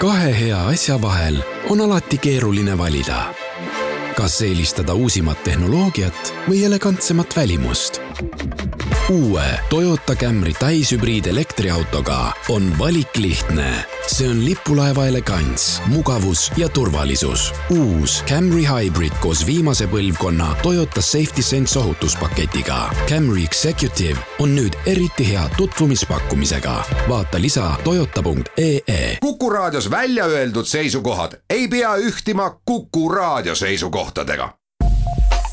Kahe hea asja vahel on alati keeruline valida. Kas eelistada uusimat tehnoloogiat või elegantsemat välimust? Uue Toyota Camry täishübriid elektriautoga on valik lihtne. See on lipulaeva elegants, mugavus ja turvalisus. Uus Camry Hybrid koos viimase põlvkonna Toyota Safety Sense ohutuspaketiga. Camry Executive on nüüd eriti hea tutvumispakkumisega. Vaata lisa toyota.ee. Kuku raadios välja öeldud seisukohad ei pea ühtima Kuku raadio seisukohtadega.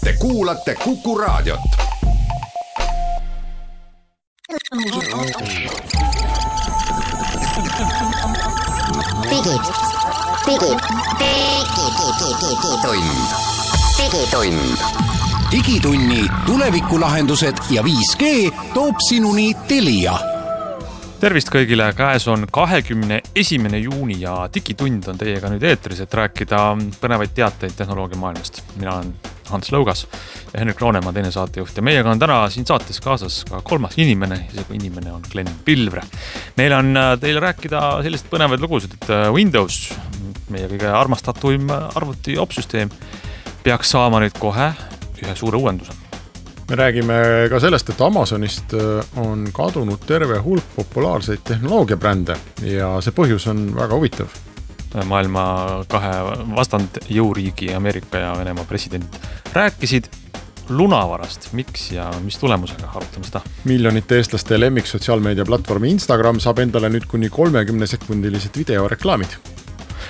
Te kuulate Kuku raadiot. Digitunni tulevikulahendused ja 5G toob sinuni Telia. Tervist kõigile, käes on 21. juuni ja Digitund on teiega nüüd eetris, et rääkida põnevaid teateid tehnoloogia maailmast. Mina olen Hans Lõugas ja Henrik Roonemaa, teine saatejuht. Ja meiega on täna siin saates kaasas ka kolmas inimene, isegi inimene on Glen Pilvre. Meil on teile rääkida sellised põnevaid lugusid, et Windows, meie kõige armastatuim arvuti opsüsteem, peaks saama nüüd kohe ühe suure uuenduse. Me räägime ka sellest, et Amazonist on kadunud terve hulk populaarseid tehnoloogiabrände ja see põhjus on väga huvitav. Maailma kahe vastand jõuriigi Ameerika ja Venemaa president rääkisid lunavarast, miks ja mis tulemusega, arutame seda. Miljonite eestlaste lemmik sotsiaalmeedia platvormi Instagram saab endale nüüd kuni 30-sekundilised videoreklaamid.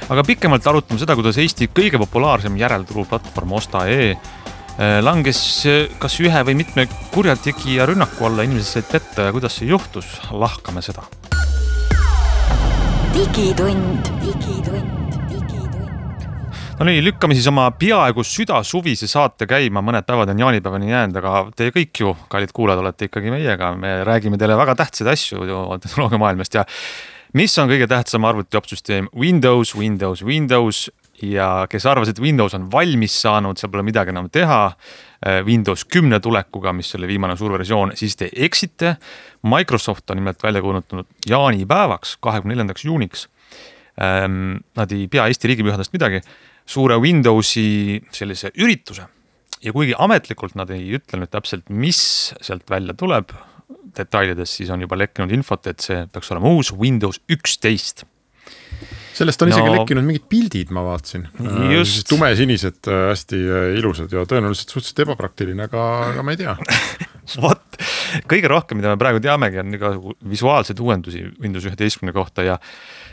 Aga pikemalt arutame seda, kuidas Eesti kõige populaarsem järelturuplatvorm Osta.ee langes kas ühe või mitme kurjategija rünnaku alla, inimesed said petta ja kuidas see juhtus, lahkame seda. Digitund. No nii, lükkame siis oma peaaegu südasuvise saate käima, mõned päevad on jaanipäevani jäänud, aga te kõik ju, kallid kuulajad, olete ikkagi meiega. Me räägime teile väga tähtsaid asju tehnoloogia maailmast ja mis on kõige tähtsam arvutiopsüsteem? Windows ja kes arvas, et Windows on valmis saanud, seal pole midagi enam teha, Windows 10 tulekuga, mis oli viimane suur versioon, siis te eksite. Microsoft on nimelt välja kuulutanud jaanipäevaks, 24. juuniks. Nad ei pea Eesti riigipühadest midagi, suure Windowsi sellise ürituse. Ja kuigi ametlikult nad ei ütle nüüd täpselt, mis sealt välja tuleb detailides, siis on juba lekkinud infot, et see peaks olema uus Windows 11. Sellest on isegi lekkinud mingid pildid, ma vaatasin. Just. Tumesinised, hästi ilusad ja tõenäoliselt suhteliselt ebapraktiline, aga ma ei tea. Vot, kõige rohkem, mida me praegu teamegi, on visuaalseid uuendusi Windows 11 kohta ja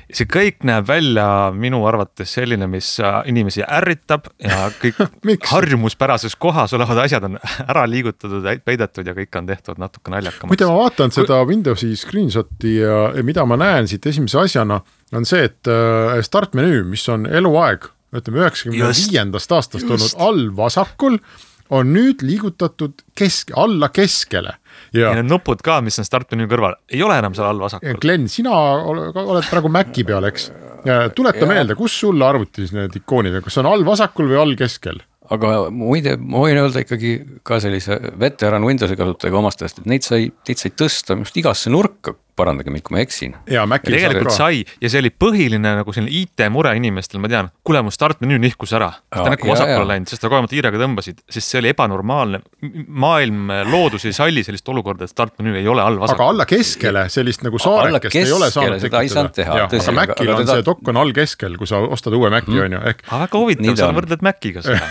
see kõik näeb välja minu arvates selline, mis inimesi ärritab ja kõik harjumuspärases kohas olevad asjad on ära liigutatud, peidetud ja kõik on tehtud natuke naljakamaks. Muide, ma vaatan seda Windowsi screenshoti ja mida ma näen siit esimese asjana on see, et startmenüü, mis on eluaeg, ütleme 95. aastast olnud all vasakul, on nüüd liigutatud alla keskele. Ja need nupud ka, mis on startmenüü kõrval, ei ole enam seal all vasakul. Glen, sina oled praegu Maci peal, eks? Tuleta meelde, kus sulle arvutis need ikoonid, kas on all vasakul või all keskel? Aga muide, ma võin öelda ikkagi ka sellise veteran Windowsi kasutajaga omastest, et neid sai tõsta just igasse nurka, parandage mind, kui ma eksin. Ja tegelikult sai, ja see oli põhiline nagu selline IT-mure inimestel, ma tean, kuule mu startmenüü nihkus ära, ta näkku vasakule läinud, sest ta kogemalt hiirega tõmbasid, sest see oli ebanormaalne. Maailm loodus ei salli sellist olukorda, et startmenüü ei ole all vasakul. Aga alla keskele, sellist nagu saarekest ei ole saanud tekitada. Aga Macil on see dokk on all keskel, kui sa ostad uue Maci, on ju. Väga huvitav, sa võrdled Maciga seda.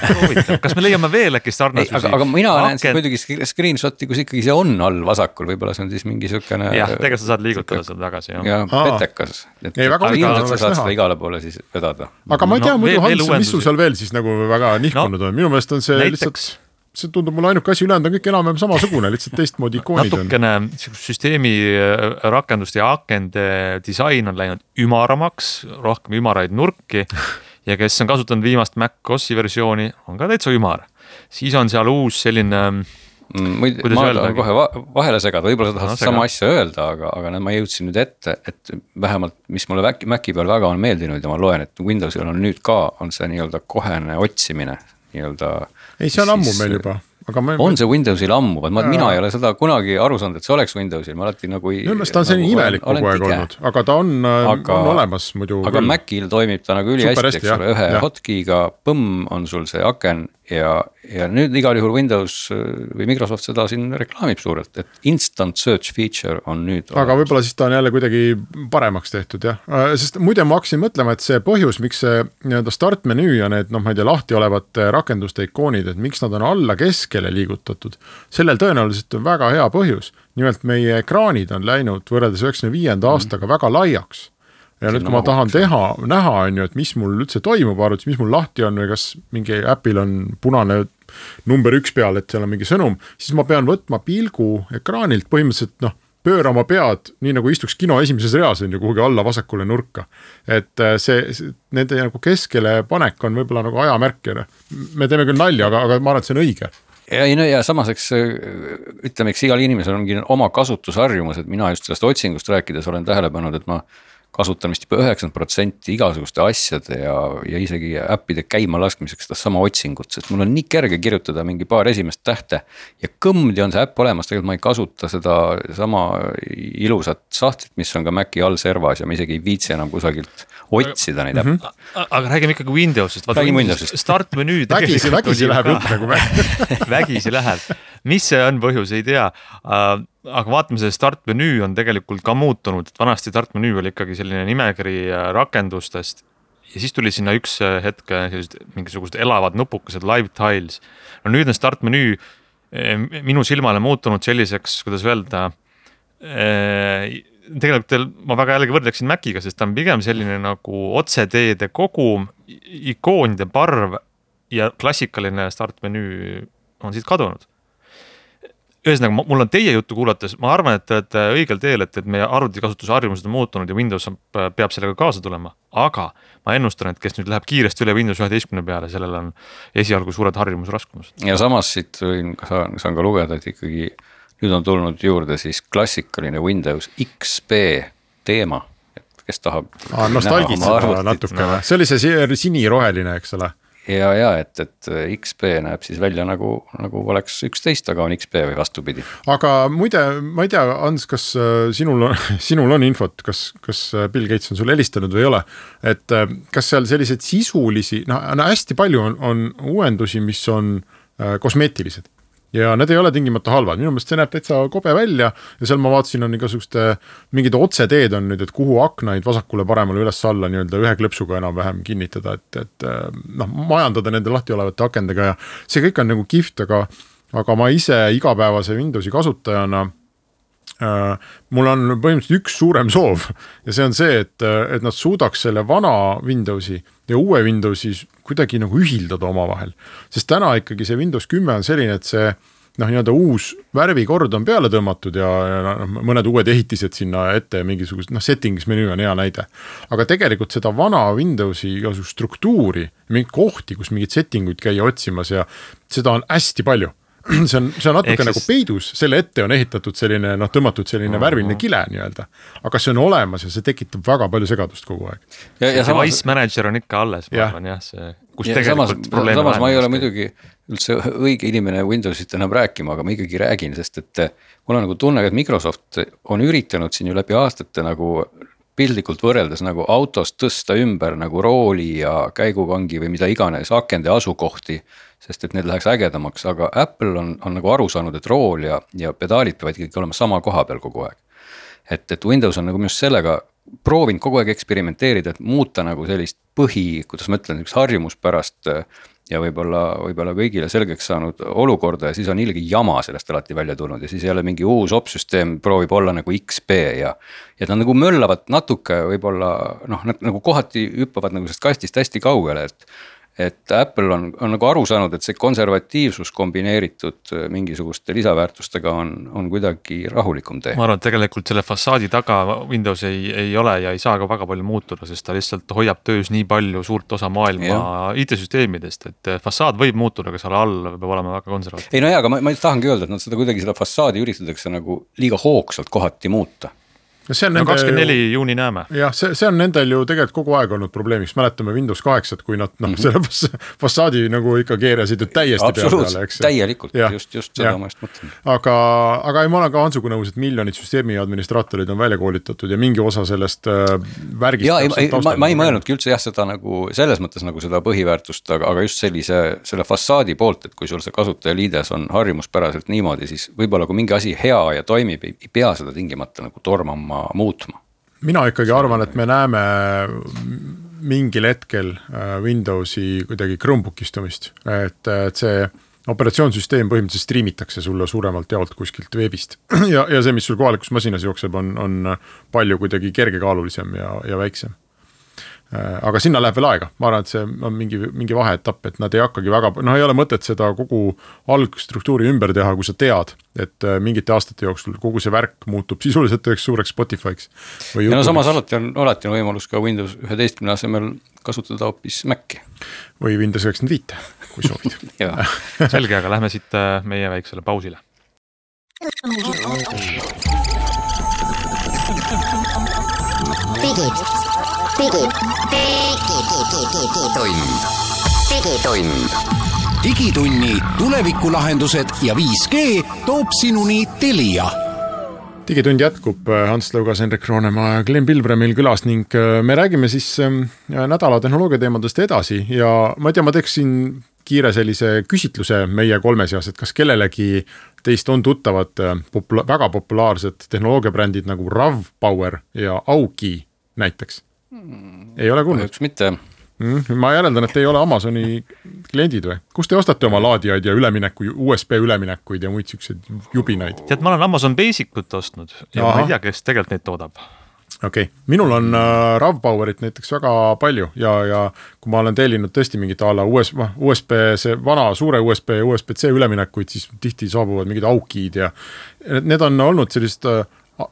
Kas me leiame veel äkki sarnasusi? Aga mina näen siis muidugi screenshoti, kus ikkagi see on all vasakul, võib-olla see on siis mingi sükene... Jah, tegelikult sa saad liigutada seda tagasi. Ja petekas. Ilmselt sa saad seda igale poole siis vedada. Aga ma ei tea, muidu Hans, mis sul seal veel siis nagu väga nihkunud on? Minu meelest on see lihtsalt, see tundub mulle ainuke asi ülejäänud on kõik enam samasugune, lihtsalt teistmoodi ikoonid on. Natukene süsteemi rakenduste ja akende disain on läinud ümaramaks, rohkem ümaraid nurki ja kes on kasutanud viimast Mac OS-i versiooni, on ka täitsa ümar. Siis on seal uus selline... ma tahan kohe vahele segada, võib-olla sa tahad sama asja öelda, aga ma jõudsin nüüd ette, et vähemalt mis mulle Maci peal väga on meeldinud ja ma loen, et Windowsil on nüüd ka on see nii-öelda kohene otsimine. Ei, see on ammu meil juba. on see Windowsil ammu, mina ei ole seda kunagi aru saanud, et see oleks Windowsil, ma alati nagu minu meelest ta on selline imelik kogu aeg olnud, aga ta on olemas muidu. Aga Macil toimib ta nagu ülihästi, eks ole, ühe hotkey'ga põmm on sul see aken ja nüüd igal juhul Windows või Microsoft seda siin reklaamib suurelt, et instant search feature on nüüd aga võib-olla siis ta on jälle kuidagi paremaks tehtud, jah. Sest muide ma hakkasin mõtlema, et see põhjus, miks see nii-öelda start menüü ja need, ma ei tea, lahti olevate rakenduste ikoonid, et miks nad on alla keskele liigutatud, sellel tõenäoliselt on väga hea põhjus. Nimelt meie ekraanid on läinud võrreldes 95. aastaga väga laiaks. Ja nüüd, kui ma tahan näha, on ju, et mis mul üldse toimub arvutis, mis mul lahti on või kas mingi äpil on punane number 1 peal, et seal on mingi sõnum, siis ma pean võtma pilgu ekraanilt põhimõtteliselt pöörama pead, nii nagu istuks kino esimeses reas on ju kuhugi alla vasakule nurka. Et nende nagu keskele panek on võib-olla nagu ajamärk. Me teeme küll nalja, aga ma arvan, et see on õige. Ja samaseks ütleme, eks igal inimesel ongi oma kasutusharjumus, et mina just sellest otsingust rääkides olen tähele pannud, et ma kasutan vist juba 90% igasuguste asjade ja isegi äppide käima laskmiseks seda sama otsingut, sest mul on nii kerge kirjutada mingi paar esimest tähte ja kõmdi on see äpp olemas, tegelikult ma ei kasuta seda sama ilusat sahtlit, mis on ka Maci all servas ja ma isegi ei viitsi enam kusagilt otsida neid äppe. Aga räägime ikkagi Windowsist. Räägime Windowsist. Start menüü vägisi läheb jutt nagu vägisi läheb. Mis see on põhjus, ei tea. Aga vaatame, see start menüü on tegelikult ka muutunud. Vanasti start menüü oli ikkagi selline nimekiri rakendustest ja siis tuli sinna üks hetk mingisugused elavad nupukesed live tiles. No nüüd on start menüü minu silmale muutunud selliseks, kuidas öelda, tegelikult ma väga jällegi võrdleksin Maciga, sest ta on pigem selline nagu otseteede kogum, ikoonide parv ja klassikaline start menüü on siit kadunud. Ühesõnaga, mul on teie juttu kuulates, ma arvan, et te olete õigel teel, et meie arvutikasutusharjumused on muutunud ja Windows peab sellega kaasa tulema, aga ma ennustan, et kes nüüd läheb kiiresti üle Windows 11 peale, sellel on esialgu suured harjumusraskumused. Ja samas siit saan ka lugeda, et ikkagi nüüd on tulnud juurde siis klassikaline Windows XP teema, et kes tahab nostalgitseda natuke. See oli see siniroheline, eks ole? Ja, et XP näeb siis välja nagu oleks 11, aga on XP või vastupidi. Aga muide, ma ei tea, Hans, kas sinul on infot, kas Bill Gates on sulle helistanud või ei ole, et kas seal sellised sisulisi, hästi palju on uuendusi, mis on kosmeetilised. Ja need ei ole tingimata halvad, minu meelest see näeb täitsa kobe välja ja seal ma vaatasin on igasuguste mingid otseteed on nüüd, et kuhu aknaid vasakule paremale üles alla nii-öelda ühe klõpsuga enam vähem kinnitada, et majandada nende lahti olevate akendega ja see kõik on nagu kihvt, aga ma ise igapäevase Windowsi kasutajana mul on põhimõtteliselt üks suurem soov ja see on see, et nad suudaks selle vana Windowsi ja uue Windowsi kuidagi nagu ühildada oma vahel. Sest täna ikkagi see Windows 10 on selline, et see nii-öelda uus värvikord on peale tõmmatud ja mõned uued ehitised sinna ette ja mingisugust settings menüü on hea näide. Aga tegelikult seda vana Windowsi struktuuri, mingid kohti, kus mingid settinguid käia otsimas ja seda on hästi palju. See on natuke nagu peidus, selle ette on ehitatud selline, tõmmatud selline värviline kile nii-öelda, aga see on olemas ja see tekitab väga palju segadust kogu aeg. Ja Device Manager on ikka alles, ma arvan, jah, see, kus tegelikult probleem on. Samas ma ei ole muidugi üldse õige inimene Windowsit enam rääkima, aga ma ikkagi räägin, sest et mul on nagu tunne, et Microsoft on üritanud siin ju läbi aastate nagu piltlikult võrreldes nagu autost tõsta ümber nagu rooli ja käigukangi või mida iganes akende asukohti, sest et need läheks ägedamaks, aga Apple on nagu aru saanud, et rool ja pedaalid peavad ikkagi olema sama koha peal kogu aeg. Et Windows on nagu just sellega proovinud kogu aeg eksperimenteerida, et muuta nagu sellist kuidas ma ütlen, üks harjumuspärast ja võib-olla kõigile selgeks saanud olukorda ja siis on ilgi jama sellest alati välja tulnud ja siis jälle mingi uus opsüsteem proovib olla nagu XP ja nad nagu möllavad natuke võib-olla, nad nagu kohati hüppavad nagu sellest kastist hästi kaugele, et Apple on nagu aru saanud, et see konservatiivsus kombineeritud mingisuguste lisaväärtustega on kuidagi rahulikum tee. Ma arvan, et tegelikult selle fassaadi taga Windows ei ole ja ei saa ka väga palju muutuda, sest ta lihtsalt hoiab töös nii palju suurt osa maailma IT-süsteemidest, et fassaad võib muutuda, aga seal all peab olema väga konservatiivne. Ei aga ma tahangi öelda, et nad seda kuidagi seda fassaadi üritatakse nagu liiga hoogsalt kohati muuta. see on 24 juuni näeme. Jah, see on nendel ju tegelikult kogu aeg olnud probleemiks, mäletame Windows 8, kui nad selle fassaadi nagu ikka keerasid ju täiesti peale, eks. Täielikult, just seda ma just mõtlen. Aga ma olen ka Hansuga nõus, et miljonid süsteemi administraatorid on välja koolitatud ja mingi osa sellest värgist. Ma ei mõelnudki üldse seda nagu selles mõttes nagu seda põhiväärtust, aga just selle fassaadi poolt, et kui sul see kasutajaliides on harjumuspäraselt niimoodi, siis võib-olla kui mingi asi hea ja toimib, ei pea seda tingimata nagu tormama muutma. Mina ikkagi arvan, et me näeme mingil hetkel Windowsi kuidagi Chromebookistumist, et see operatsioonsüsteem põhimõtteliselt streamitakse sulle suuremalt jaolt kuskilt veebist ja see, mis sul kohalikus masinas jookseb, on palju kuidagi kergekaalulisem ja väiksem. Aga sinna läheb veel aega, ma arvan, et see on mingi vaheetapp, et nad ei hakkagi väga, ei ole mõtet seda kogu algstruktuuri ümber teha, kui sa tead, et mingite aastate jooksul kogu see värk muutub sisuliselt üheks suureks Spotify'ks. Ja samas alati on võimalus ka Windows 11 asemel kasutada hoopis Maci. Või Windows 95, kui soovid. Selge, aga lähme siit meie väiksele pausile. Digitunni tulevikulahendused ja 5G toob sinuni Telia. Digitund jätkub, Hans Lõugas, Henrik Roonemaa ja Glenn Pilvre meil külas ning me räägime siis nädala tehnoloogia teemadest edasi ja ma teeksin kiire sellise küsitluse meie kolme seas, et kas kellelegi teist on tuttavad väga populaarsed tehnoloogiabrändid nagu RAV-Power ja Augi näiteks? Ei ole kuulnud? Üks mitte. Ma järeldan, et ei ole Amazoni kliendid või? Kus te ostate oma laadijaid ja USB üleminekuid ja muid selliseid jubinaid? Tead, ma olen Amazon Basicut ostnud ja ma ei tea, kes tegelikult neid toodab. Okei. Minul on RAV-Powerit näiteks väga palju ja kui ma olen tellinud tõesti mingit ala USB, see vana suure USB ja USB-C üleminekuid, siis tihti saabuvad mingid Augid ja need on olnud sellist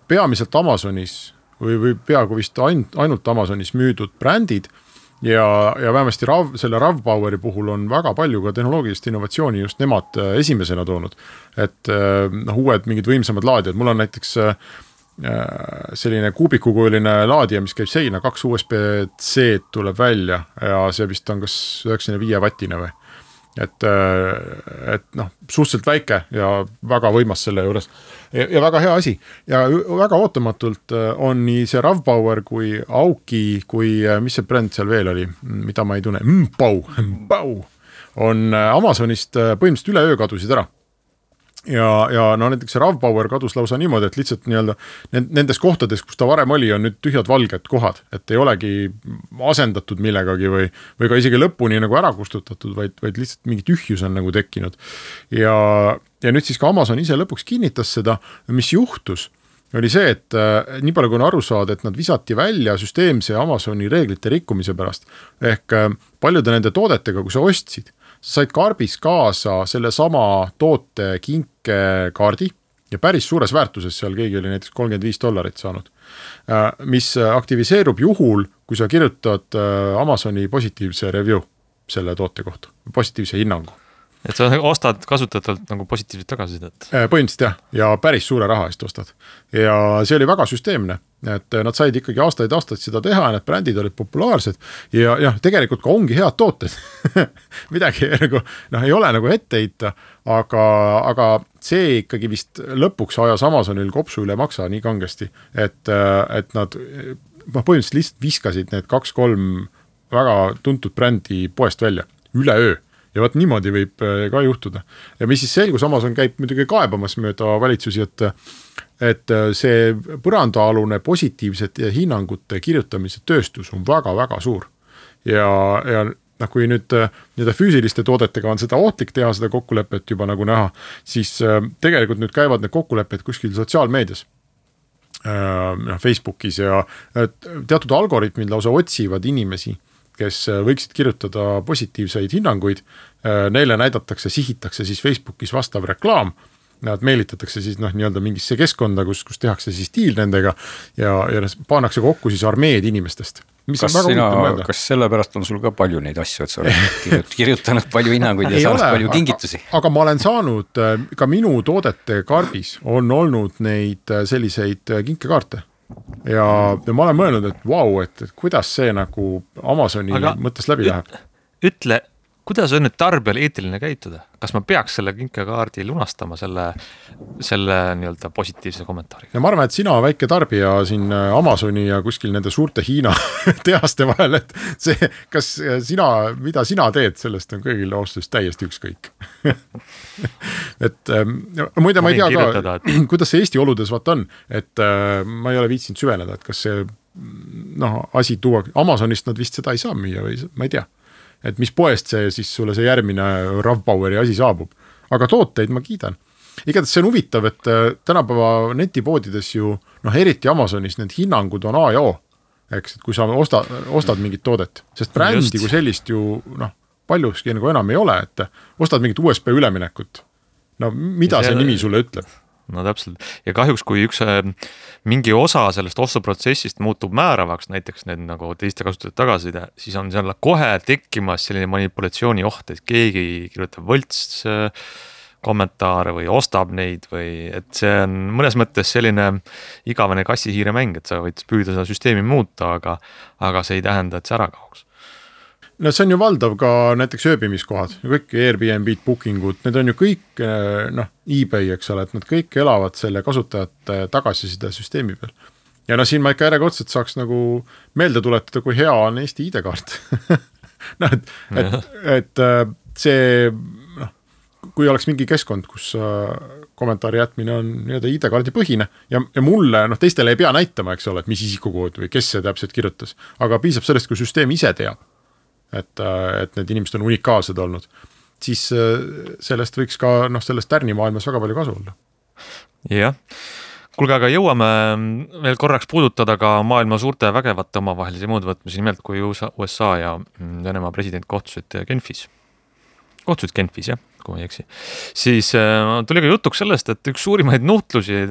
peamiselt Amazonis või peaaegu vist ainult Amazonis müüdud brändid ja vähemasti selle RAV-Poweri puhul on väga palju ka tehnoloogilist innovatsiooni just nemad esimesena toonud, et uued mingid võimsamad laadijad, mul on näiteks selline kuubikukujuline laadija, mis käib seina, 2 USB-C tuleb välja ja see vist on kas 95 wattine või, et suhteliselt väike ja väga võimas selle juures ja väga hea asi ja väga ootamatult on nii see RAV-Power kui Augi kui mis see bränd seal veel oli, mida ma ei tunne, Mpau on Amazonist põhimõtteliselt üleöö kadusid ära. Ja näiteks RAV-Power kadus lausa niimoodi, et lihtsalt nendes kohtades, kus ta varem oli, on nüüd tühjad valged kohad, et ei olegi asendatud millegagi või ka isegi lõpuni nagu ära kustutatud, vaid lihtsalt mingi tühjus on nagu tekkinud. Ja nüüd siis ka Amazon ise lõpuks kinnitas seda, mis juhtus, oli see, et nii palju kui on aru saada, et nad visati välja süsteemse Amazoni reeglite rikkumise pärast, ehk paljude nende toodetega, kui sa ostsid, sa said karbis kaasa selle sama toote kinkekaardi ja päris suures väärtuses seal keegi oli näiteks $35 saanud, mis aktiviseerub juhul, kui sa kirjutad Amazoni positiivse review selle toote kohta, positiivse hinnangu. Et sa ostad kasutatult nagu positiivselt tagasisidet? Põhimõtteliselt jah, ja päris suure raha eest ostad. Ja see oli väga süsteemne, et nad said ikkagi aastaid seda teha ja need brändid olid populaarsed ja tegelikult ka ongi head tooted. Midagi nagu, ei ole nagu ette heita, aga see ikkagi vist lõpuks ajas Amazonil kopsu üle maksa nii kangesti, et nad põhimõtteliselt lihtsalt viskasid need 2-3 väga tuntud brändi poest välja, üleöö. Ja võt niimoodi võib ka juhtuda. Ja mis siis selgus, Amazon käib muidugi kaebamas mööda valitsusi, et see põrandaalune positiivsete hinnangute kirjutamise tööstus on väga-väga suur. Ja kui nüüd füüsiliste toodetega on seda ohtlik teha, seda kokkulepet juba nagu näha, siis tegelikult nüüd käivad need kokkulepped kuskil sotsiaalmeedias. Facebookis ja teatud algoritmid lausa otsivad inimesi, kes võiksid kirjutada positiivseid hinnanguid, neile näidatakse, sihitakse siis Facebookis vastav reklaam, nad meelitatakse siis nii-öelda mingisse keskkonda, kus tehakse siis diil nendega ja pannakse kokku siis armeed inimestest. Kas selle pärast on sul ka palju neid asju, et sa oled kirjutanud palju hinnanguid ja saanud palju kingitusi? Aga ma olen saanud, ka minu toodete karbis on olnud neid selliseid kinkekaarte. ja ma olen mõelnud, et vau, et kuidas see nagu Amazoni mõttes läbi läheb. Ütle, kuidas on nüüd tarbijal eetiline käituda? Kas ma peaks selle kinkekaardi lunastama selle nii-öelda positiivse kommentaari? Ja ma arvan, et sina väike tarbija siin Amazoni ja kuskil nende suurte Hiina tehaste vahel, et see, kas mida sina teed, sellest on kõigil austus täiesti ükskõik. Et muide, ma ei tea ka, kuidas see Eesti oludes vaat on, et ma ei ole viitsinud süveneda, et kas see asi tuua, Amazonist nad vist seda ei saa müüa või ma ei tea. Et mis poest see siis sulle see järgmine Ravpoweri asi saabub. Aga tooteid ma kiidan. Igatahes see on huvitav, et tänapäeva netipoodides ju, eriti Amazonis need hinnangud on A ja O. Eks, et kui sa ostad mingit toodet, sest brändi kui sellist ju paljuski nagu enam ei ole, et ostad mingit USB üleminekut. No mida see nimi sulle ütleb? No täpselt. Ja kahjuks, kui mingi osa sellest ostuprotsessist muutub määravaks, näiteks need nagu teiste kasutajate tagasiside, siis on seal kohe tekkimas selline manipulatsiooni oht, et keegi kirjutab võlts kommentaare või ostab neid või et see on mõnes mõttes selline igavene kassihiire mäng, et sa võid püüda seda süsteemi muuta, aga see ei tähenda, et see ära kaoks. No see on ju valdav ka näiteks ööbimiskohad, kõik Airbnb, bookingud, need on ju kõik eBay, eks ole, et nad kõik elavad selle kasutajate tagasiside süsteemi peal. Ja siin ma ikka järjekordselt saaks nagu meelde tuletada, kui hea on Eesti ID-kaart. et see, kui oleks mingi keskkond, kus kommentaari jätmine on ID-kaardi põhine ja mulle, teistele ei pea näitama, eks ole, et mis isikukood või kes see täpselt kirjutas, aga piisab sellest, kui süsteem ise teab. Et need inimesed on unikaalsed olnud, siis sellest võiks ka sellest tärnimaailmas väga palju kasu olla. Jah, kuulge, aga jõuame veel korraks puudutada ka maailma suurte vägevate omavahelisi mõõdvõtmisi, nimelt kui USA ja Venemaa president kohtusid Genfis, jah, kui ma ei eksi. Siis tuli ka jutuks sellest, et üks suurimaid nuhtlusi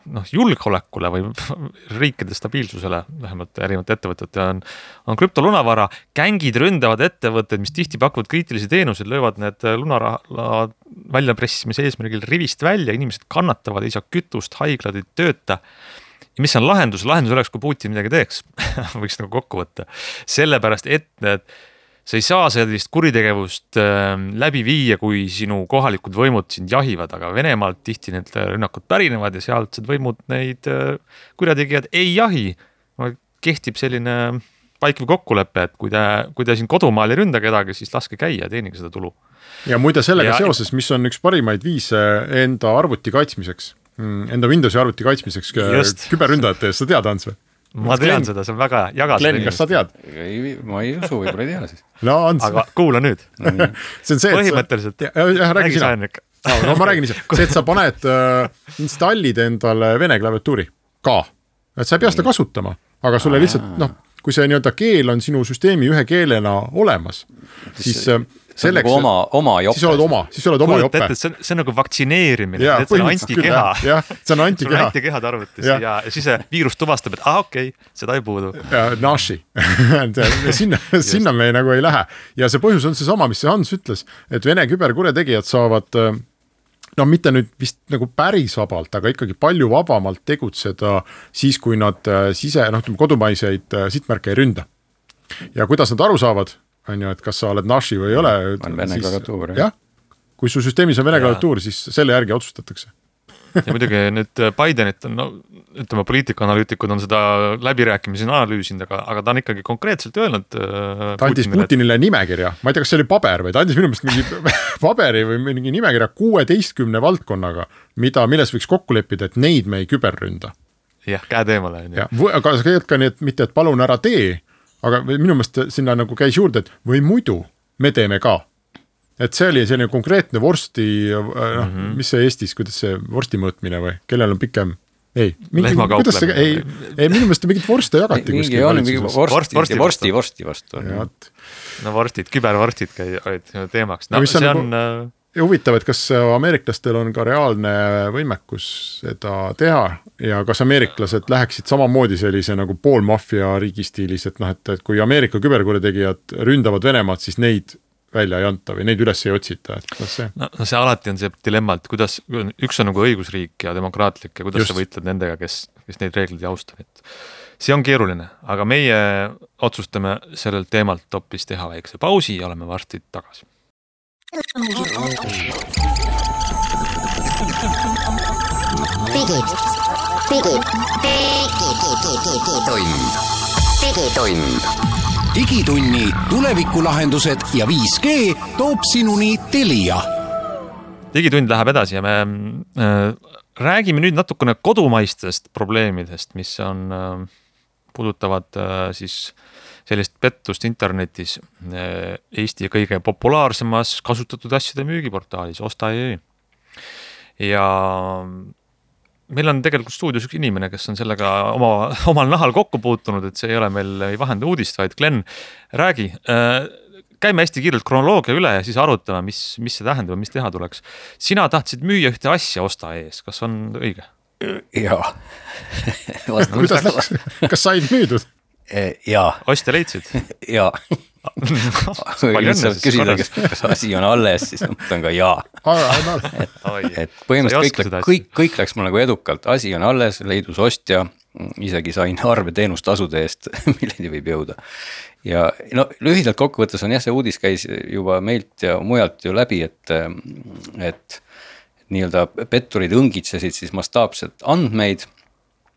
julgeolekule või riikide stabiilsusele, vähemalt erinevate ettevõtete on krüptolunavara. Gängid ründavad ettevõtted, mis tihti pakuvad kriitilisi teenuseid, löövad need lunaraha väljapressimise eesmärgil rivist välja, inimesed kannatavad, ei saa kütust, haiglad ei tööta. Ja mis on lahendus? Lahendus oleks, kui Putin midagi teeks, võiks nagu kokku võtta. Sellepärast, et sa ei saa sellist kuritegevust läbi viia, kui sinu kohalikud võimud sind jahivad, aga Venemaalt tihti need rünnakud pärinevad ja sealtsed võimud neid kurjategijad ei jahi. Kehtib selline vaikiv kokkulepe, et kui te siin kodumaal ei ründa kedagi, siis laske käia, teenige seda tulu. Ja muide sellega seoses, mis on üks parimaid viise enda arvuti kaitsmiseks, enda Windowsi arvuti kaitsmiseks küberründajate eest, sa tead, Ants või? Ma tean seda, see on väga jagas. Glenn, kas sa tead? Ma ei usu, võib-olla ei tea siis. No, Ants. Aga kuula nüüd. See on see, põhimõtteliselt. Räägi sina. No, ma räägin ise. See, et sa paned installid endale vene klaviatuuri ka. Et sa ei pea seda kasutama, aga sulle lihtsalt, kui see keel on sinu süsteemi ühe keelena olemas, siis selleks, oma jope. Siis oled oma jope. See on nagu vaktsineerimine, see on antikeha. Jah, see on antikeha. Sul on antikehad arvutis ja siis see viirus tuvastab, et okei, seda ei puudu. Ja naši. Sinna me nagu ei lähe. Ja see põhjus on see sama, mis see Hans ütles, et Vene küberkuretegijad saavad mitte nüüd vist nagu päris vabalt, aga ikkagi palju vabamalt tegutseda siis, kui nad kodumaiseid sihtmärke ei ründa. Ja kuidas nad aru saavad, on ju, et kas sa oled naši või ei ole. On vene klaviatuur. Jah, kui su süsteemis on vene klaviatuur, siis selle järgi otsustatakse. Ja muidugi nüüd Bidenit on, poliitikaanalüütikud on seda läbirääkimisi analüüsinud, aga ta on ikkagi konkreetselt öelnud ta andis Putinile nimekirja, ma ei tea, kas see oli paber või ta andis minu meelest mingi paberi või mingi nimekirja 16 valdkonnaga, milles võiks kokku leppida, et neid me ei küberründa. Jah, käe teemale. Aga sa käid ka nii, et mitte, et palun ära tee, aga minu meelest sinna nagu käis juurde, et või muidu me teeme ka. Et see oli selline konkreetne vorsti, mis see Eestis, kuidas see vorsti mõõtmine või, kellel on pikem, kuidas see, minu meelest mingit vorste jagati mingi vorsti vastu. No vorstid, kübervorstid olid teemaks. No, see on huvitav, et kas ameeriklastel on ka reaalne võimekus seda teha ja kas ameeriklased läheksid samamoodi sellise nagu poolmafia riigi stiilis, et kui Ameerika küberkuretegijad ründavad Venemaad, siis neid välja ei anta või neid üles ei otsita, et kuidas see? No see alati on see dilemma, et kuidas, üks on nagu õigusriik ja demokraatlik ja kuidas sa võitled nendega, kes neid reeglid ei austa, et see on keeruline, aga meie otsustame sellel teemalt hoopis teha väikse pausi ja oleme varsti tagasi. Digitunni tulevikulahendused ja 5G toob sinuni Telia. Digitund läheb edasi ja me räägime nüüd natukene kodumaistest probleemidest, mis on, puudutavad siis sellist pettust internetis Eesti kõige populaarsemas kasutatud asjade müügiportaalis Osta.ee. Ja meil on tegelikult stuudios üks inimene, kes on sellega omal nahal kokku puutunud, et see ei ole meil ei vahenda uudist, vaid Glen, räägi, käime hästi kiirelt kronoloogia üle ja siis arutame, mis see tähendab, mis teha tuleks. Sina tahtsid müüa ühte asja Osta.ee-s, kas on õige? Jaa. Kuidas läks? Kas said müüdud? Jaa. Ostja leidsid? Jaa. Kui saab küsida, kas asi on alles, siis mõtlen ka jaa. Et põhimõtteliselt kõik läks mul nagu edukalt. Asi on alles, leidus ostja, isegi sain arve teenustasude eest, milleni võib jõuda. Ja no, lühidalt kokkuvõttes on jah, see uudis käis juba meilt ja mujalt ju läbi, et nii-öelda petturid õngitsesid siis mastaapset andmeid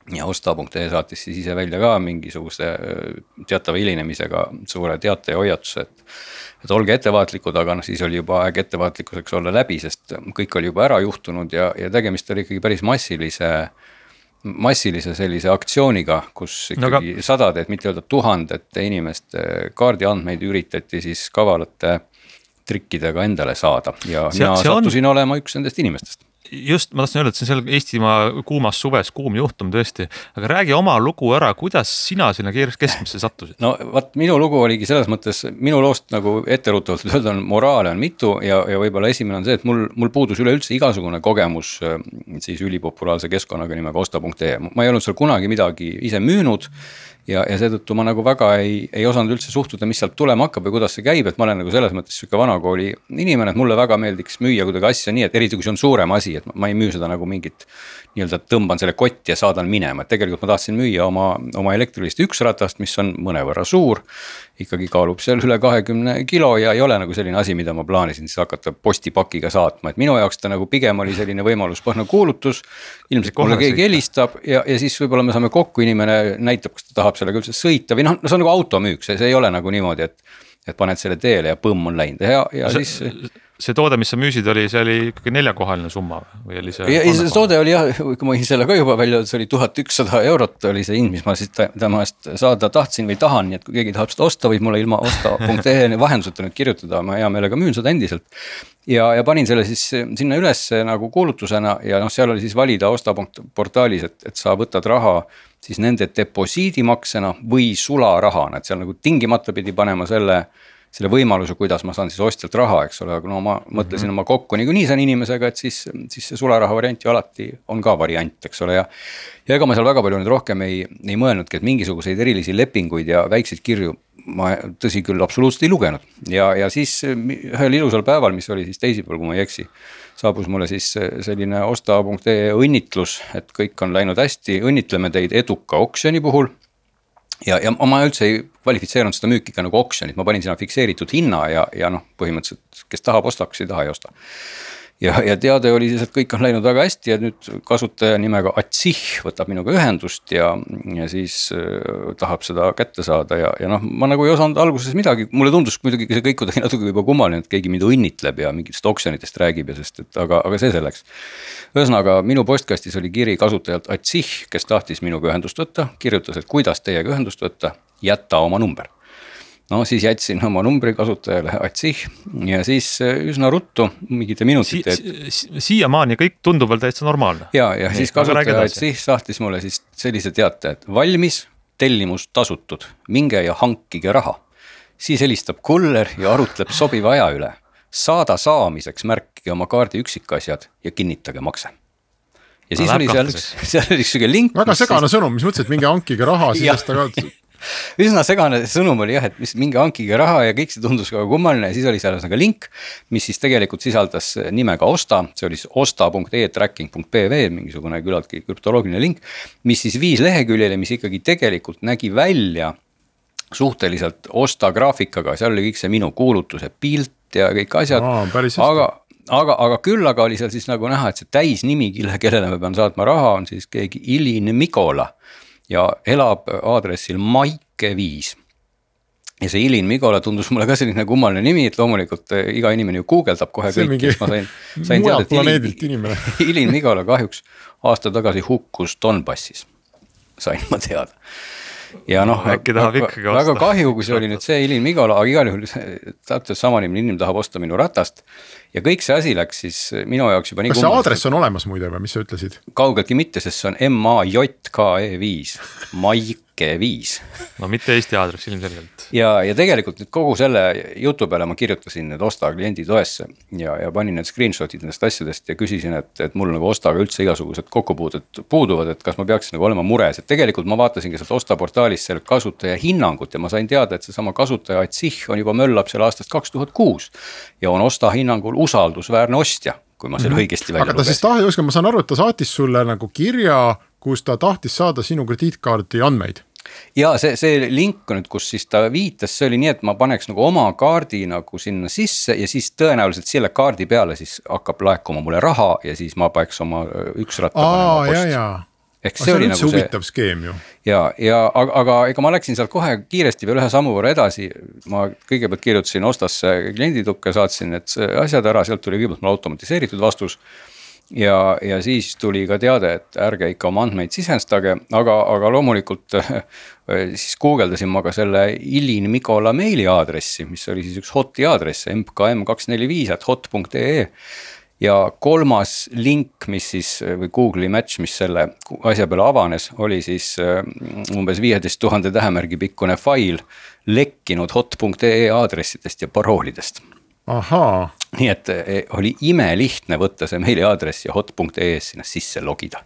ja Osta.ee saatis siis ise välja ka mingisuguse teatava hilinemisega suure teate ja hoiatuse, et olge ettevaatlikud, aga siis oli juba aeg ettevaatlikkuseks olla läbi, sest kõik oli juba ära juhtunud ja tegemist oli ikkagi päris massilise sellise aktsiooniga, kus ikkagi sadade, et mitte öelda tuhandete inimeste kaardiandmeid üritati siis kavalate trikkidega endale saada ja mina sattusin olema üks nendest inimestest. Just, ma tahtsin öelda, et see on seal Eestimaa kuumas suves kuum juhtum tõesti, aga räägi oma lugu ära, kuidas sina sinna keskmisse sattusid? No vaat minu lugu oligi selles mõttes, minu loost nagu etteruutavalt öelda on moraale on mitu ja võib-olla esimene on see, et mul puudus üleüldse igasugune kogemus siis ülipopulaarse keskkonnaga nimega Osta.ee. Ma ei olnud seal kunagi midagi ise müünud ja seetõttu ma nagu väga ei osanud üldse suhtuda, mis sealt tulema hakkab või kuidas see käib, et ma olen nagu selles mõttes süke vanakooli inimene, et mulle väga meeldiks müüa kuidagi asja nii, et eriti kui see on suurem asi, et ma ei müü seda nagu mingit nii-öelda tõmban selle kotti ja saadan minema, et tegelikult ma tahtsin müüa oma elektrilist üksratast, mis on mõnevõrra suur, ikkagi kaalub seal üle 20 kilo ja ei ole nagu selline asi, mida ma plaanisin siis hakata postipakiga saatma, et minu jaoks ta nagu pigem oli selline võimaluspõhne kuulutus, ilmselt mulle keegi helistab ja siis võib-olla me saame kokku, inimene näitab, kas ta tahab sellega üldse sõita või noh, see on nagu automüük, see ei ole nagu niimoodi, et paned selle teele ja põmm on läinud ja siis... See toode, mis sa müüsid, see oli ikkagi 4-kohaline summa või oli see? Ja see toode oli jah, kui ma selle ka juba välja, see oli 1100 eurot oli see hind, mis ma siis tema eest saada tahtsin või tahan, nii et kui keegi tahab seda osta, võib mulle ilma Osta.ee vahenduseta nüüd kirjutada, ma hea meelega müün seda endiselt. Ja panin selle siis sinna üles nagu kuulutusena ja noh, seal oli siis valida Osta.portaalis, et sa võtad raha siis nende deposiidimaksena või sularahana, et seal nagu tingimata pidi panema selle võimaluse, kuidas ma saan siis ostjalt raha, eks ole, aga no ma mõtlesin oma kokku nii saan inimesega, et siis see sularaha variant ju alati on ka variant, eks ole, ja ega ma seal väga palju nüüd rohkem ei mõelnudki, et mingisuguseid erilisi lepinguid ja väikseid kirju ma tõsi küll absoluutselt ei lugenud ja siis ühel ilusal päeval, mis oli siis teisipäeval, kui ma ei eksi, saabus mulle siis selline Osta.ee õnnitlus, et kõik on läinud hästi, õnnitleme teid eduka oksjoni puhul. Ja ma üldse ei kvalifitseerunud seda müüki ka nagu oksjonit, ma panin sinna fikseeritud hinna ja noh, põhimõtteliselt, kes tahab osta, kes ei taha ei osta. Ja teade oli siis, et kõik on läinud väga hästi ja nüüd kasutaja nimega Atsih võtab minuga ühendust ja siis tahab seda kätte saada ja noh, ma nagu ei osanud alguses midagi, mulle tundus muidugi see kõik kuidagi natuke juba kummaline, et keegi mind õnnitleb ja mingitest oksjonitest räägib ja aga see selleks. Ühesõnaga, minu postkastis oli kiri kasutajalt Atsih, kes tahtis minuga ühendust võtta, kirjutas, et kuidas teiega ühendust võtta, jätta oma number. No siis jätsin oma numbri kasutajale Atsih ja siis üsna ruttu, mingite minutite. Siiamaani kõik tundub veel täitsa normaalne. Ja siis kasutaja Atsih sahtis mulle siis sellise teate, et valmis, tellimus tasutud, minge ja hankige raha. Siis helistab kuller ja arutleb sobiva aja üle. Saada saamiseks märkige oma kaardi üksikasjad ja kinnitage makse. Ja siis oli seal oli üks link. Väga segane sõnum, mis mõtlesid, mingi hankige raha, siis ta ka... üsna segane sõnum oli jah, et mis mingi hankige raha ja kõik see tundus ka kummaline ja siis oli seal link, mis siis tegelikult sisaldas nimega Osta, see oli siis osta.e-tracking.pv, mingisugune küllaltki krüptoloogiline link, mis siis viis leheküljele, mis ikkagi tegelikult nägi välja suhteliselt Osta graafikaga, seal oli kõik see minu kuulutuse pilt ja kõik asjad, aga küll aga oli seal siis nagu näha, et see täisnimi, kellele ma pean saatma raha, on siis keegi Ilin Mikola ja elab aadressil Maike 5. Ja see Ilin Mikola tundus mulle ka selline kummaline nimi, et loomulikult iga inimene ju guugeldab kohe kõik, kes ma sain teada, et Ilin Mikola kahjuks aasta tagasi hukkus Donbassis, sain ma teada. Ja noh, väga kahju, kui see oli nüüd see Ilin Mikola, aga igal juhul täpselt sama inimene tahab osta minu ratast ja kõik see asi läks siis minu jaoks juba nii kas see aadress on olemas muide või, mis sa ütlesid? Kaugeltki mitte, sest see on MAJKE5, Maike 5. No mitte Eesti aadress ilmselgelt. Ja tegelikult nüüd kogu selle jutu peale ma kirjutasin need Osta kliendi toesse ja panin need screenshotid nendest asjadest ja küsisin, et mul nagu Ostaga üldse igasugused kokkupuudet puuduvad, et kas ma peaksin nagu olema mures, et tegelikult ma vaatasin ka sealt Osta portaalis selle kasutaja hinnangut ja ma sain teada, et see sama kasutaja Atsih on juba möllab selle aastast 2006 ja on Osta hinnangul usaldusväärne ostja, kui ma selle õigesti välja lugesin. Aga ta siis tahti, ma saan aru, et ta saatis sulle nagu kirja, kus ta tahtis saada sinu krediitkaardi andmeid. Ja see link nüüd, kus siis ta viitas, see oli nii, et ma paneks nagu oma kaardi nagu sinna sisse ja siis tõenäoliselt selle kaardi peale siis hakkab laekuma mulle raha ja siis ma peaks oma üks ratta panema posti. Ehk see oli nagu huvitav skeem ju. Aga ega ma läksin sealt kohe kiiresti veel ühe sammu võrra edasi. Ma kõigepealt kirjutasin Ostasse klienditukke, saatsin need asjad ära, sealt tuli kõigepealt mul automatiseeritud vastus. Ja siis tuli ka teade, et ärge ikka oma andmeid sisestage, aga loomulikult siis guugeldasin ma ka selle Ilin Mikola meili aadressi, mis oli siis üks hoti aadress, mkm245@hot.ee ja kolmas link, mis siis või Google'i match, mis selle asja peale avanes, oli siis umbes 15 000 tähemärgi pikkune fail lekkinud hot.ee aadressidest ja paroolidest. Ahaa. Nii et oli imelihtne võtta see meili aadress ja hot.ee-s sinna sisse logida.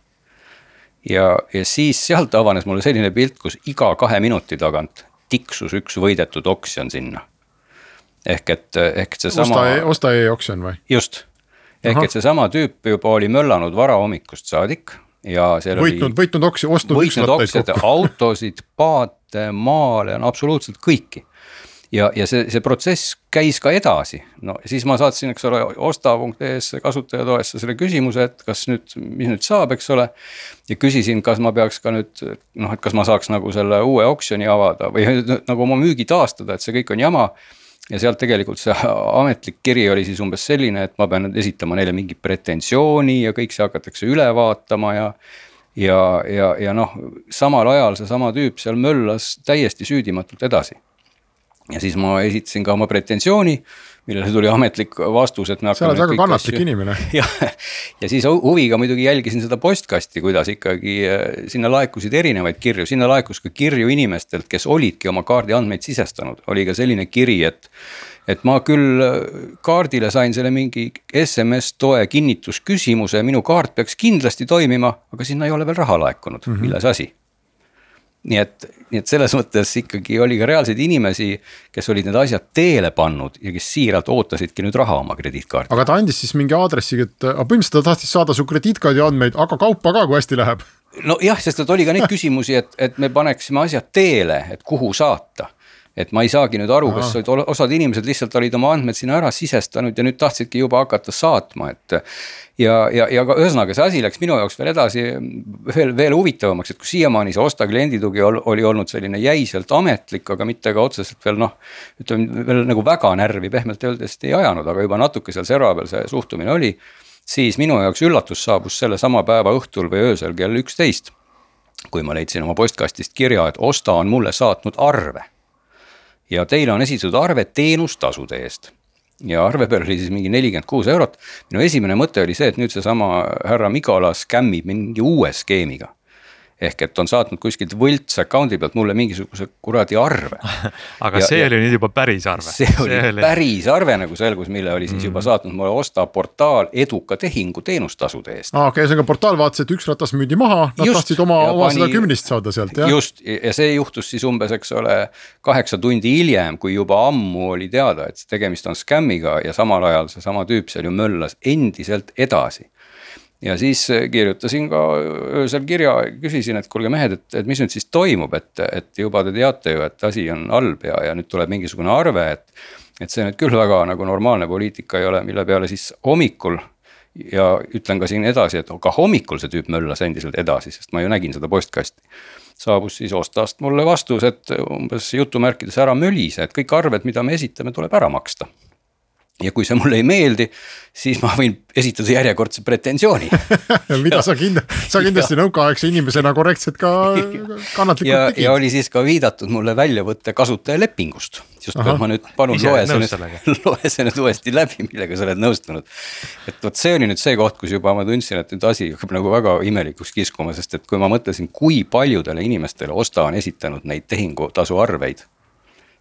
Ja siis sealt avanes mulle selline pilt, kus iga 2 minuti tagant tiksus üks võidetud oksjon sinna. Ehk see sama... Osta e-oksjon või? Just. Ehk et see sama tüüp juba oli möllanud varahommikust saadik ja seal võitnud oksjon, ostnud üks rattaid kokku. Autosid, paate, maale on absoluutselt kõiki. Ja see protsess käis ka edasi. No siis ma saatsin, eks ole, osta.ee-s kasutajatoesse selle küsimuse, et mis nüüd saab, eks ole. Ja küsisin, kas ma peaks ka nüüd, et kas ma saaks nagu selle uue oksjoni avada või nagu oma müügi taastada, et see kõik on jama. Ja sealt tegelikult see ametlik kiri oli siis umbes selline, et ma pean nüüd esitama neile mingi pretensiooni ja kõik see hakatakse üle vaatama ja samal ajal see sama tüüp seal möllas täiesti süüdimatult edasi. Ja siis ma esitasin ka oma pretensiooni, millele tuli ametlik vastus, et me hakkame... Sa oled väga kannatlik inimene. Ja siis huviga muidugi jälgisin seda postkasti, kuidas ikkagi sinna laekusid erinevaid kirju. Sinna laekus ka kirju inimestelt, kes olidki oma kaardi andmeid sisestanud. Oli ka selline kiri, et ma küll kaardile sain selle mingi SMS-toe kinnitusküsimuse, minu kaart peaks kindlasti toimima, aga sinna ei ole veel raha laekunud, milles asi. Nii et selles mõttes ikkagi oli ka reaalseid inimesi, kes olid need asjad teele pannud ja kes siiralt ootasidki nüüd raha oma krediitkaardi. Aga ta andis siis mingi aadressi, et põhimõtteliselt ta tahtis saada su krediitkaardi andmeid, aga kaupa ka, kui hästi läheb. No jah, sest oli ka neid küsimusi, et me paneksime asjad teele, et kuhu saata. Et ma ei saagi nüüd aru, kas osad inimesed lihtsalt olid oma andmed sinna ära sisestanud ja nüüd tahtsidki juba hakata saatma. Ja ka ühesõnaga see asi läks minu jaoks veel edasi veel huvitavamaks, et kui siiamaani see Osta klienditugi oli olnud selline jäiselt ametlik, aga mitte ka otseselt veel veel nagu väga närvi pehmelt öeldes ei ajanud, aga juba natuke seal serva peal see suhtumine oli, siis minu jaoks üllatus saabus selle sama päeva õhtul või öösel kell 11, kui ma leidsin oma postkastist kirja, et Osta on mulle saatnud arve. Ja teile on esitatud arve teenustasude eest. Ja arve peal oli siis mingi 46 €. Minu esimene mõte oli see, et nüüd see sama härra Mikola skämmib mingi uue skeemiga. ehk et on saatnud kuskilt võlts account'i pealt mulle mingisuguse kuradi arve. Aga see oli nüüd juba päris arve. See oli päris arve nagu selgus, mille oli siis juba saatnud mulle Osta portaal eduka tehingu teenustasude eest. Okei, see on ka portaal vaatas, et üks ratas müüdi maha, nad tahtsid oma 110 saada sealt. Ja? Just, ja see juhtus siis umbes, eks ole, 8 tundi hiljem, kui juba ammu oli teada, et tegemist on skämmiga ja samal ajal see sama tüüp seal ju möllas endiselt edasi. Ja siis kirjutasin ka öösel kirja, küsisin, et kuulge mehed, et mis nüüd siis toimub, et juba te teate ju, et asi on halb ja nüüd tuleb mingisugune arve, et see nüüd küll väga nagu normaalne poliitika ei ole, mille peale siis hommikul ja ütlen ka siin edasi, et ka hommikul see tüüp möllas endiselt edasi, sest ma ju nägin seda postkasti. Saabus siis Ostast mulle vastus, et umbes jutumärkides ära mölise, et kõik arved, mida me esitame, tuleb ära maksta. Ja kui see mulle ei meeldi, siis ma võin esitada järjekordse pretensiooni. Mida sa kindlasti nõukaaegse inimesena korrektselt ka kannatlikult tegid. Ja oli siis ka viidatud mulle väljavõtte kasutajalepingust. Just ma nüüd palun loe see nüüd uuesti läbi, millega sa oled nõustunud. Et võt see oli nüüd see koht, kus juba ma tundsin, et nüüd asi hakkab nagu väga imelikuks kiskuma, sest et kui ma mõtlesin, kui paljudele inimestele Osta on esitanud neid tehingutasu arveid.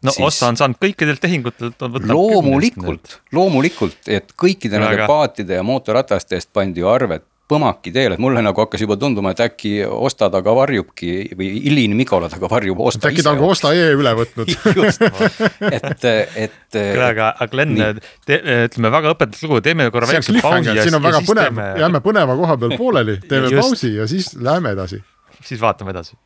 No siis, Osta on saanud kõikidelt tehingutelt. Loomulikult, et kõikide nende paatide ja mootorrataste eest pandi ju arved põmaki teel, et mulle nagu hakkas juba tunduma, et äkki Osta taga varjubki või Ilin Mikola taga varjub Osta ise. Äkki ta on Osta üle võtnud. Just, aga Glenn, ütleme väga õpetatud lugu, teeme korra väikse pausi. Siin on väga põnev, jääme põneva koha peal pooleli, teeme pausi ja siis läheme edasi. Siis vaatame edasi.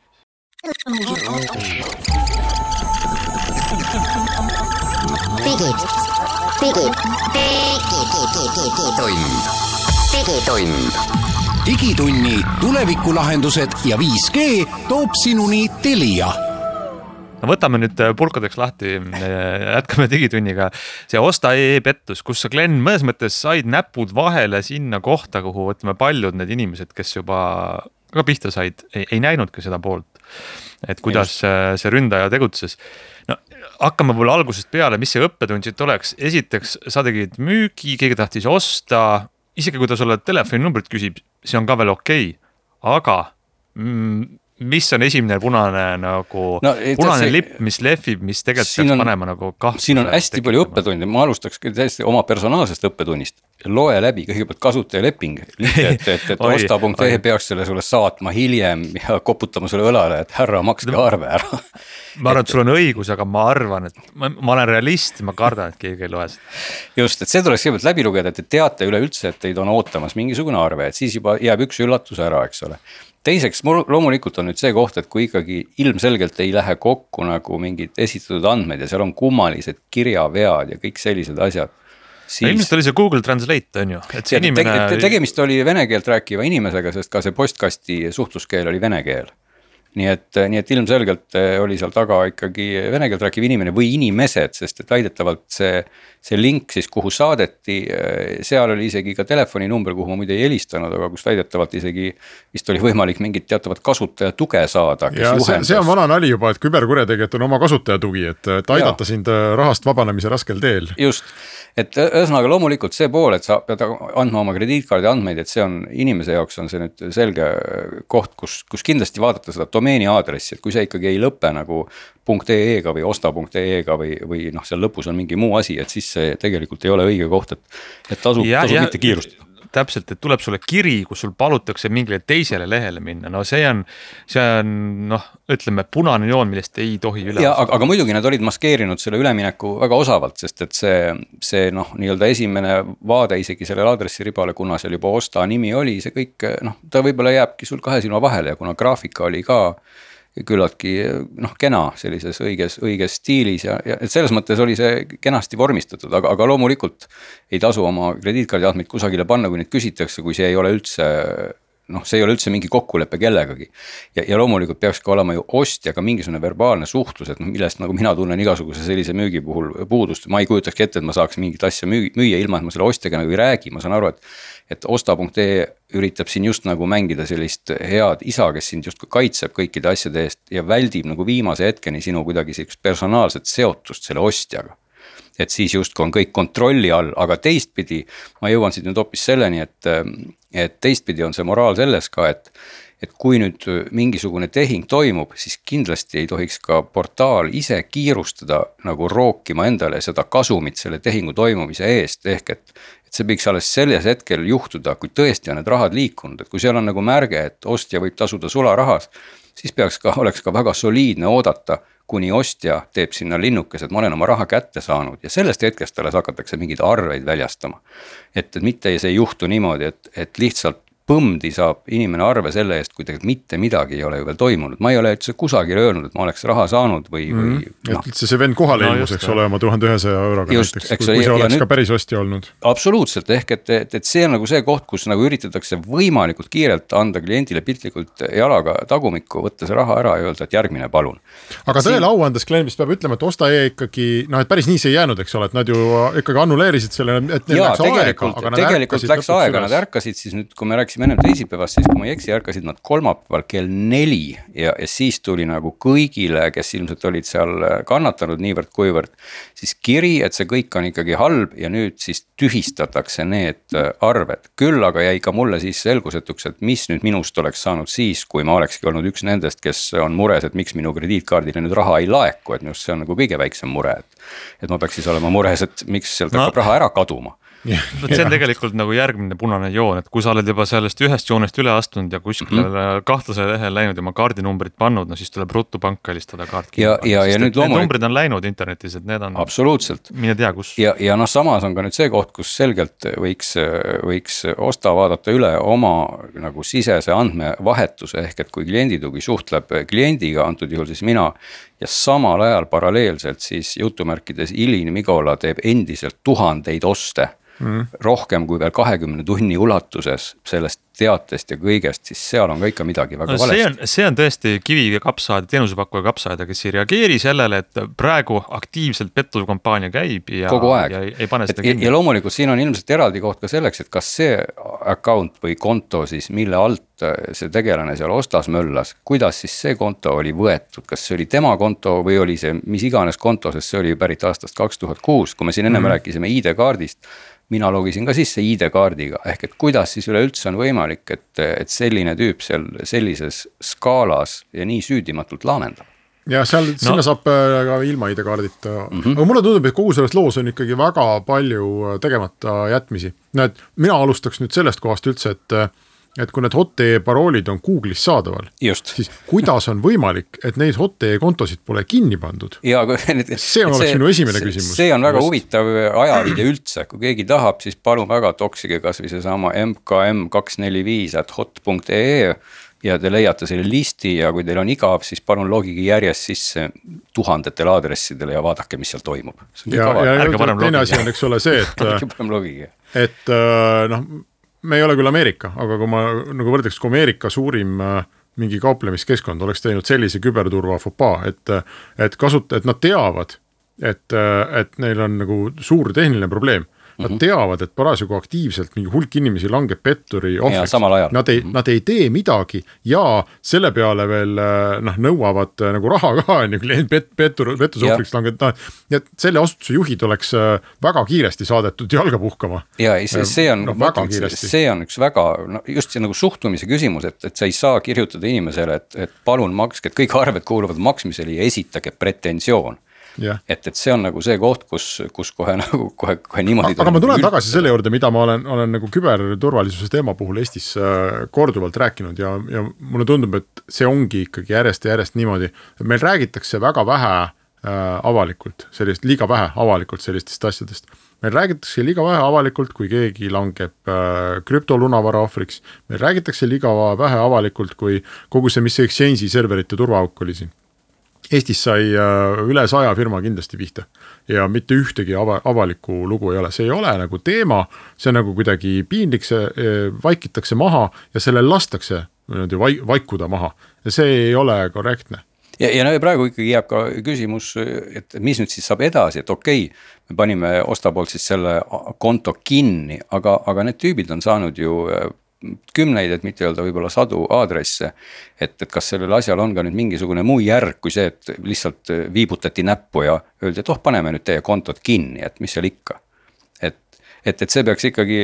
Digitunni tulevikulahendused ja 5G toob sinuni Telia. Võtame nüüd pulkadeks lahti, jätkame digitunniga. See Osta pettus, kus sa Glenn mõnes mõttes said näpud vahele sinna kohta, kuhu võtame paljud need inimesed, kes juba ka pihta said, ei näinudki seda poolt. Et kuidas see ründaja tegutses. No, hakkame võib-olla algusest peale, mis see õppetund siit oleks. Esiteks, sa tegid müügi, keegi tahtis osta, isegi kui ta sulle telefoninumbrit küsib, see on ka veel okei. Aga mis on esimene punane lipp, mis lehvib, mis tegelikult peaks panema nagu kahtluse? Siin on hästi palju õppetundi, ma alustaks täiesti oma personaalsest õppetundist. Loe läbi kõigepealt kasutajaleping, et osta.ee peaks selle sulle saatma hiljem ja koputama sulle õlale, et härra, makske arve ära. Ma arvan, et sul on õigus, aga ma arvan, et ma olen realist, ma kardan, et keegi ei loe seda. Just, et see tuleks kõigepealt läbi lugeda, et teate üleüldse, et teid on ootamas mingisugune arve, et siis juba jääb üks üllatus ära, eks ole. Teiseks, loomulikult on nüüd see koht, et kui ikkagi ilmselgelt ei lähe kokku nagu mingid esitatud andmed ja seal on kummalised kirjavead ja kõik sellised asjad. Siis... Ilmselt oli see Google Translate, on ju? Et see inimene... Tegemist oli vene keelt rääkiva inimesega, sest ka see postkasti suhtluskeel oli vene keel. Nii et ilmselgelt oli seal taga ikkagi vene keelt rääkiv inimene või inimesed, sest et väidetavalt see link siis, kuhu saadeti, seal oli isegi ka telefoninumber, kuhu ma muide ei helistanud, aga kus väidetavalt isegi vist oli võimalik mingit teatavat kasutaja tuge saada. Ja see on vana nali juba, et küberkurjategijad on oma kasutaja tugi, et aidata sind rahast vabanemise raskel teel. Just, et ühesõnaga loomulikult see pool, et sa pead andma oma krediitkaardi andmeid, et see on inimese jaoks on see nüüd selge koht, kus kindlasti vaadata seda domeeni aadressi, et kui see ikkagi ei lõpe nagu .ee-ga või osta.ee-ga või seal lõpus on mingi muu asi, et siis see tegelikult ei ole õige koht, et tasub mitte kiirustada. Täpselt, et tuleb sulle kiri, kus sul palutakse mingile teisele lehele minna. No see on ütleme, punane joon, millest ei tohi üle. Aga muidugi nad olid maskeerinud selle ülemineku väga osavalt, sest et see nii-öelda esimene vaade isegi selle aadressiribale, kuna seal juba Osta nimi oli, see kõik, ta võib-olla jääbki sul kahe silma vahele ja kuna graafika oli ka küllaltki kena sellises õiges stiilis ja et selles mõttes oli see kenasti vormistatud, aga loomulikult ei tasu oma krediitkaardi andmeid kusagile panna, kui neid küsitakse, kui see ei ole üldse mingi kokkulepe kellegagi. Ja loomulikult peaks ka olema ju ostjaga mingisugune verbaalne suhtlus, et millest nagu mina tunnen igasuguse sellise müügi puhul puudust. Ma ei kujutakski ette, et ma saaks mingit asja müüa ilma, et ma selle ostjaga nagu ei räägi. Ma saan aru, et osta.ee üritab siin just nagu mängida sellist head isa, kes sind just kaitseb kõikide asjade eest ja väldib nagu viimase hetkeni sinu kuidagi sellist personaalset seotust selle ostjaga. Et siis just on kõik kontrolli all, aga teistpidi ma jõuan siit nüüd hoopis selleni, et teistpidi on see moraal selles ka, et kui nüüd mingisugune tehing toimub, siis kindlasti ei tohiks ka portaal ise kiirustada nagu rookima endale seda kasumit selle tehingu toimumise eest, ehk et see võiks alles selles hetkel juhtuda, kui tõesti on need rahad liikunud, et kui seal on nagu märge, et ostja võib tasuda sularahas, siis oleks ka väga soliidne oodata, kuni ostja teeb sinna linnukes, et ma olen oma raha kätte saanud ja sellest hetkest alles hakatakse mingeid arveid väljastama. Et mitte see ei juhtu niimoodi, et lihtsalt põmdi saab inimene arve selle eest, kui tegelikult mitte midagi ei ole ju veel toimunud. Ma ei ole üldse kusagil öelnud, et ma oleks raha saanud või et üldse see vend kohale ilmus, eks ole, oma 1100 euroga just, näiteks, kui see oleks nüüd, ka päris ostja olnud. Absoluutselt, ehk et see on nagu see koht, kus nagu üritatakse võimalikult kiirelt anda kliendile piltlikult jalaga tagumikku, võtta see raha ära ja öelda, et järgmine palun. Aga tõele au andes kliendist peab ütlema, et osta ikkagi, et päris nii see ei jäänud, eks ole, et nad ju ikkagi annuleerisid selle, et neil läks aega, aga tegelikult läks aega, nad ärkasid siis nüüd, kui me rääkisime ennem teisipäevast, siis kui ma ei eksi, ärkasid nad kolmapäeval kell 4 ja siis tuli nagu kõigile, kes ilmselt olid seal kannatanud niivõrd kuivõrd, siis kiri, et see kõik on ikkagi halb ja nüüd siis tühistatakse need arved. Küll aga jäi ka mulle siis selgusetuks, et mis nüüd minust oleks saanud siis, kui ma olekski olnud üks nendest, kes on mures, et miks minu krediitkaardile nüüd raha ei laeku, et minust see on nagu kõige väiksem mure, et ma peaks siis olema mures, et miks sealt hakkab raha ära kaduma. See on tegelikult nagu järgmine punane joon, et kui sa oled juba sellest ühest joonest üle astunud ja kuskile kahtlasele lehel läinud ja oma kaardinumbrit pannud, no siis tuleb ruttu panka helistada kaart kinni. Ja nüüd need numbrid on läinud internetis, et need on absoluutselt. Mine tea kus. Ja samas on ka nüüd see koht, kus selgelt võiks osta vaadata üle oma nagu sisese andmevahetuse, ehk et kui klienditugi suhtleb kliendiga, antud juhul siis mina, ja samal ajal paralleelselt siis jutumärkides Ilin Migola teeb endiselt 1000 oste, rohkem kui veel 20 tunni ulatuses sellest teatest ja kõigest, siis seal on ka ikka midagi väga valesti. See on tõesti kivi ja kapsaaed, teenusepakkuja kapsaaed, kes ei reageeri sellele, et praegu aktiivselt pettuskampaania käib ja, kogu aeg. Ja ei pane seda kinni. Ja loomulikult siin on ilmselt eraldi koht ka selleks, et kas see account või konto siis, mille alt see tegelane seal ostas möllas, kuidas siis see konto oli võetud, kas see oli tema konto või oli see mis iganes konto, sest see oli pärit aastast 2006, kui me siin ennem rääkisime ID-kaardist, mina logisin ka sisse ID-kaardiga, ehk et kuidas siis üleüldse on võimalik, et selline tüüp seal sellises skaalas ja nii süüdimatult laamendab. Ja sinna saab ka ilma ID-kaardita. Aga mulle tundub, et kogu selles loos on ikkagi väga palju tegemata jätmisi. Mina alustaks nüüd sellest kohast üldse, et kui need hot.ee paroolid on Google'is saadaval, siis kuidas on võimalik, et neid hot.ee kontosid pole kinni pandud? See oleks minu esimene küsimus. See on väga huvitav ajaviide üldse, kui keegi tahab, siis palun väga toksige kas või see sama mkm245@hot.ee ja te leiate selle listi ja kui teil on igav, siis palun logige järjest sisse 1000 aadressidele ja vaadake, mis seal toimub. Ja teine asi on, eks ole see, et me ei ole küll Ameerika, aga kui ma nagu võrdeks, kui Ameerika suurim mingi kauplemiskeskkond oleks teinud sellise küberturva fopaa, et nad teavad, et neil on nagu suur tehniline probleem. Nad teavad, et parasjagu aktiivselt mingi hulk inimesi langeb petturi ohvriks. Nad ei tee midagi ja selle peale veel nõuavad nagu raha ka, pettus ohvriks langeb. Et selle asutuse juhid oleks väga kiiresti saadetud jalga puhkama. Ja see on üks väga, just see nagu suhtumise küsimus, et sa ei saa kirjutada inimesele, et palun makske, et kõik arved kuuluvad maksmisele ja esitage pretensioon. Et see on nagu see koht, kus kohe niimoodi. Aga ma tulen tagasi selle juurde, mida ma olen nagu küberturvalisuse teema puhul Eestis korduvalt rääkinud ja mulle tundub, et see ongi ikkagi järjest niimoodi, et meil räägitakse väga vähe avalikult, liiga vähe avalikult sellistest asjadest. Meil räägitakse liiga vähe avalikult, kui keegi langeb krüptolunavara ohvriks. Meil räägitakse liiga vähe avalikult, kui kogu see, mis Exchange'i serverite turvaauk oli siin. Eestis sai üle 100 firma kindlasti pihta ja mitte ühtegi avalikku lugu ei ole. See ei ole nagu teema, see on nagu kuidagi piinlik, see vaikitakse maha ja selle lastakse vaikuda maha ja see ei ole korrektne. Ja praegu ikkagi jääb ka küsimus, et mis nüüd siis saab edasi, et okei, me panime ostapoolt siis selle konto kinni, aga need tüübid on saanud ju kümneid, et mitte öelda võib-olla 100 aadresse, et kas sellel asjal on ka nüüd mingisugune muu järg kui see, et lihtsalt viibutati näppu ja öeldi, et paneme nüüd teie kontot kinni, et mis seal ikka. et see peaks ikkagi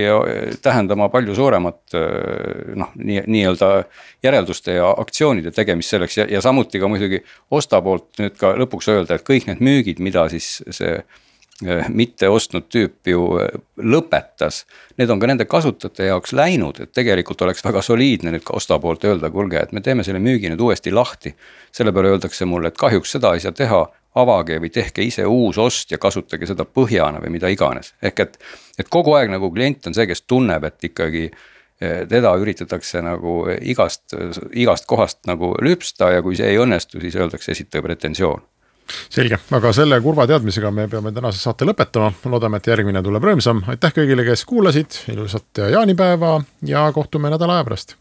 tähendama palju suuremat nii-öelda järelduste ja aktsioonide tegemist selleks ja samuti ka muidugi ostapoolt nüüd ka lõpuks öelda, et kõik need müügid, mida siis see mitte ostnud tüüp ju lõpetas, need on ka nende kasutajate jaoks läinud, et tegelikult oleks väga soliidne nüüd ka ostapoolt öelda, kuulge, et me teeme selle müügi nüüd uuesti lahti. Selle peale öeldakse mulle, et kahjuks seda ei saa teha, avage või tehke ise uus ost ja kasutage seda põhjana või mida iganes. Ehk et kogu aeg nagu klient on see, kes tunneb, et ikkagi teda üritatakse nagu igast kohast nagu lüpsta ja kui see ei õnnestu, siis öeldakse esitage pretensioon. Selge, aga selle kurva teadmisega me peame tänase saate lõpetama. Loodame, et järgmine tuleb rõõmsam. Aitäh kõigile, kes kuulasid, ilusat jaanipäeva ja kohtume nädala aja pärast.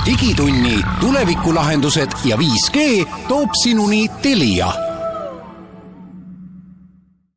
Digitunni tulevikulahendused ja 5G toob sinuni Telia.